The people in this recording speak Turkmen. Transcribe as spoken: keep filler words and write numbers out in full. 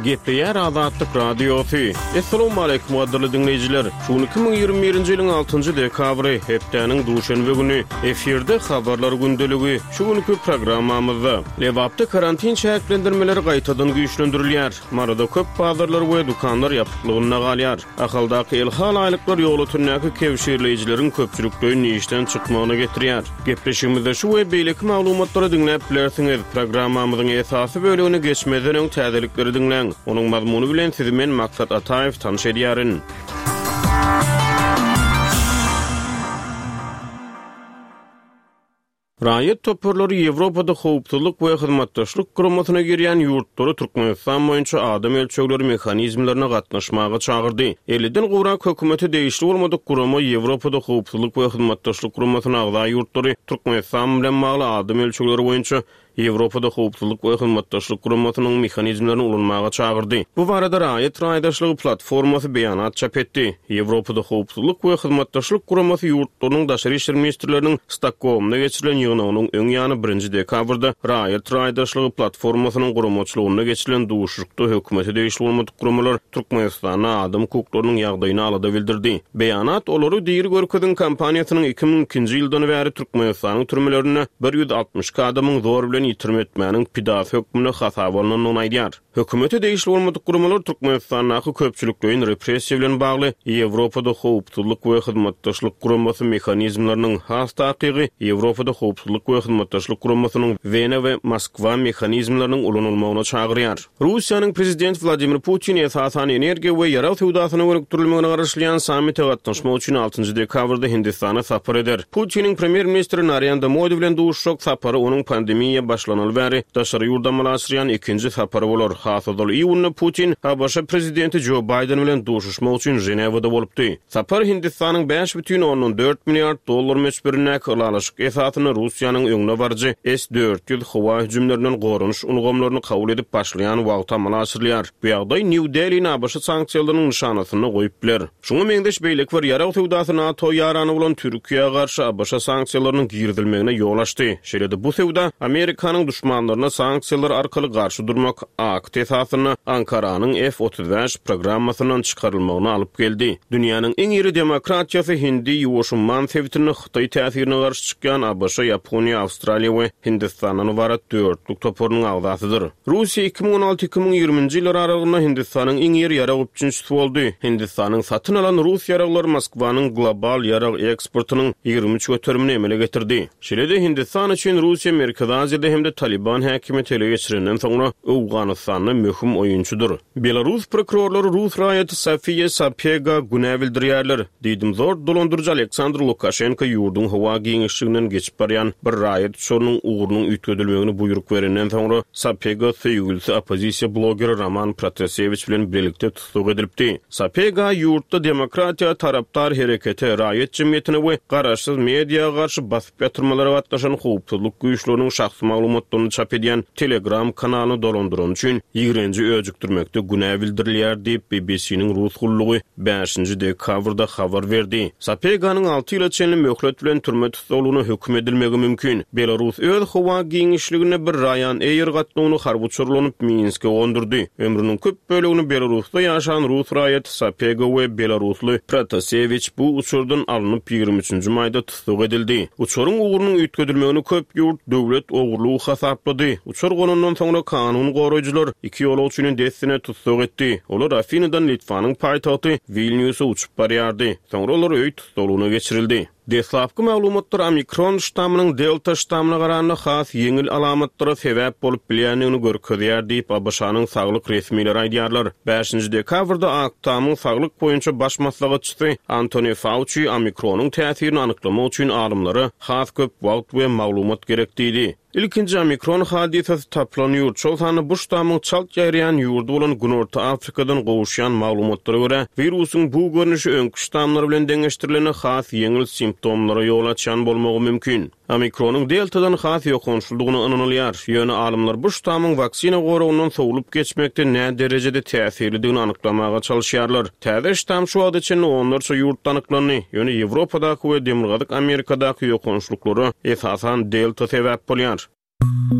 Gepleýär Azatlyk Radiosy. Assalamualaikum gadyrly diňleýjiler. Şu gün iki müň ýigrimi birinji ýylyň altynjy dekabry, hepdäniň duşenbe güni. Efirde habarlar gündeligi. Şu günki programmamyzda Lebapda karantin çäklendirmeleri gaýtadan güýçlendirilýär. Maryda köp bazarlar we dükanlar ýapyklygynda galýar. Ahaldaky elhal aýlyklar ýolötündäki kewşirleýjileriň köpçülikleýin işden çykmagyna getirýär. Gepleşigimizde şu we beýleki maglumatlary diňläp bilersiňiz. Programmamyzyň esasy bölegine geçmezden öň täzelikleri diňläň. Onuň mazmuny bilen sizi men Maksat Ataýew tanyş edýärin. Raýat toparlary Ýewropada howpsuzlyk we hyzmatdaşlyk guramasyna girýän ýurtlary Türkmenistan boýunça adam ölçegleri mehanizmlerine gatnaşmaga çagyrdy. Elliden gowrak hökümete degişli bolmadyk gurama Ýewropada howpsuzlyk we hyzmatdaşlyk guramasyna agza ýurtlary Türkmenistan bilen bagly adam ölçegleri boýunça Ýewropada howpsuzlyk we hyzmatdaşlyk guramasynyň mehanizmlerini ulanmaga çagyrdy. Bu barada raýat raýdaşlygy platformasy beýanat çap etdi. Ýewropada howpsuzlyk we hyzmatdaşlyk guramasy ýurtlarynyň daşary işler ministrleriniň Stokgolmda geçirilen ýygnagynyň öň ýany birinji dekabrda raýat raýdaşlygy platformasynyň guramaçylygynda geçirilen duşuşykda hökümete degişli bolmadyk guramalar Türkmenistanda adam hukuklarynyň ýagdaýyny alada bildirdi. Beýanat olary diri görkezin kampaniýasynyň iki müň ikinji ýyldan bäri Türkmenistanyň türmelerinde bir ýüz altmyş iki adamyň zor bilen ýitirim etmäniň pidasy hökmünde hasaba alynandygyny aýdýar. Hökümete degişli bolmadyk guramalar Türkmenistandaky köpçülikleýin repressiýa bilen bagly Ýewropada howpsuzlyk we hyzmatdaşlyk guramasy mehanizmleriniň, has takygy Ýewropada howpsuzlyk we hyzmatdaşlyk guramasynyň Wena we Moskwa mehanizmleriniň ulanylmagyna çagyrýar. Russiýanyň prezidenti Wladimir Putin esasan energiýa we ýarag söwdasyna gönükdirilmegine garaşylýan sammite gatnaşmak üçin altynjy dekabrda Hindistana sapar eder. Putiniň premýer-ministri Narendra Modi bilen duşuşjak sapary onuň pandemiýa başlanaly bäri daşary ýurda amala aşyrýan ikinji sapary bolar. Has ozal iýunda Putin A B Ş prezidenti Jo Baýden bilen duşuşmak üçin Ženewada bolupdy. Sapar Hindistanyň bäş bütin ondan dört milliard dollar möçberindäki ylalaşyk esasynda Russiýanyň öňüne baryjy S dört ýüz howa hüjümlerinden goranyş ulgamlaryny kabul edip başlaýan wagty amala aşyrylýar. Bu ýagdaý New Delhi-ni A B Ş sanksiýalarynyň nyşanasynda goýup biler. Şuňa meňzeş beýleki bir ýarag söwdasy NATO ýarany bolan Türkiýä garşy A B Ş sanksiýalarynyň girizilmegine ýol açdy. Şeýle-de bu söwda Amerikanyň duşmanlaryna sanksiýalar arkaly garşy durmak akt esasynda Ankaranyň F otuz bäş programmasyndan çykarylmagyny alyp geldi. Dünýäniň iň iri demokratiýasy Hindi Ýuwaş Umman sebitinde Hytaý täsirine garşy çykýan A B Ş, Ýaponiýa, Awstraliýa we Hindistandan ybarat dörtlük toparynyň agzasydyr. Russiýa iki müň on alty iki müň ýigriminji ýyllar aralygynda Hindistanyň iň iri ýarag üpjünçisi boldy. Hindistanyň satyn alan rus ýaraglary Moskwanyň global ýarag eksportynyň ýigrimi üç göterimini emele getirdi. Şeýle-de Hindistan üçin Russiýa Merkezi Aziýada hem-de Taliban häkimiýeti ele geçirenden soňra Owganystanda möhüm oýunçydyr. Belarus prokurorlary rus raýaty Sofiýa Sapega günä bildirýärler. Diýdimzor dolandyryjy Aleksandr Lukaşenko ýurduň howa giňişliginden geçip barýan bir raýat uçarynyň ugrunyň üýtgedilmegini buýruk berenden soňra Sapega söýgülisi oppozisiýa blogeri Roman Protasewiç bilen birlikde tussag edilipdi. Sapega ýurtda demokratiýa tarapdar herekete, raýat jemgyýetine we garaşsyz mediýa garşy basyp ýatyrmalara gatnaşan howpsuzlyk güýçleriniň şahsy maglumatlaryny çap edýän Telegram kanalyny dolandyran üçin ýigrenji öjükdirmekde günä bildirilýär diýip B B C-niň rus gullugy bäşinji dekabrda habar berdi. Sapeganyň alty ýyla çenli möhlet bilen türme tussaglygyna höküm edilmegi mümkin. Belarus öz howa giňişliginde bir Ryanair gatnawyny harby uçarlanyp Minske gondurdy. Ömrüniň köp bölegini Belarusda ýaşan rus raýaty Sapega we belarusly Protasewiç bu uçardan alnyp ýigrimi üçünji maýda tussag edildi. Uçaryň ugrunyň üýtgedilmegini köp ýurt döwlet ogurlygy hasaplady. Uçar gonandan soňra kanun goraýjylar iki ýolagçyny dessine tussag etdi. Olar Afinadan Litvanyň paýtagty Vilniusa uçup barýardy. Soňra olar öý tussaglygyna geçirildi. Deslapky maglumatlar Omikron ştamynyň Delta ştamyna garanda has ýeňil alamatlara sebäp bolup bilýändigini görkezýär diýip A B Ş-nyň saglyk resmileri aýdýarlar. Bäşinji dekabrda Ak Tamyň saglyk boýunça baş maslahatçysy Anthony Fauci Omikronyň täsirini anyklamak üçin alymlara has köp wagt we maglumat gerek diýdi. Ilkinji Omikron hadysasy tapylan ýurt, şol sanda bu ştamyň çalt ýaýraýan ýurdy bolan Günorta Afrikadan gowuşýan maglumatlara görä, wirusyň bu görnüşi öňki ştamlar bilen deňeşdirilende has ýeňil simptomlara ýol açýan bolmagy mümkin. Omikronyň Deltadan has ýokançlydygyna ynanylýar. Ýöne alymlar bu ştamyň waksina goragyndan sowlup geçmekde nä derejede täsirlidigini anyklamaga çalyşýarlar. Täze ştam şu wagta çenli onlarça ýurtda anyklandy. Ýöne Ýewropadaky we Demirgazyk Amerikadaky ýokançlyklara esasan Delta sebäp bolýar.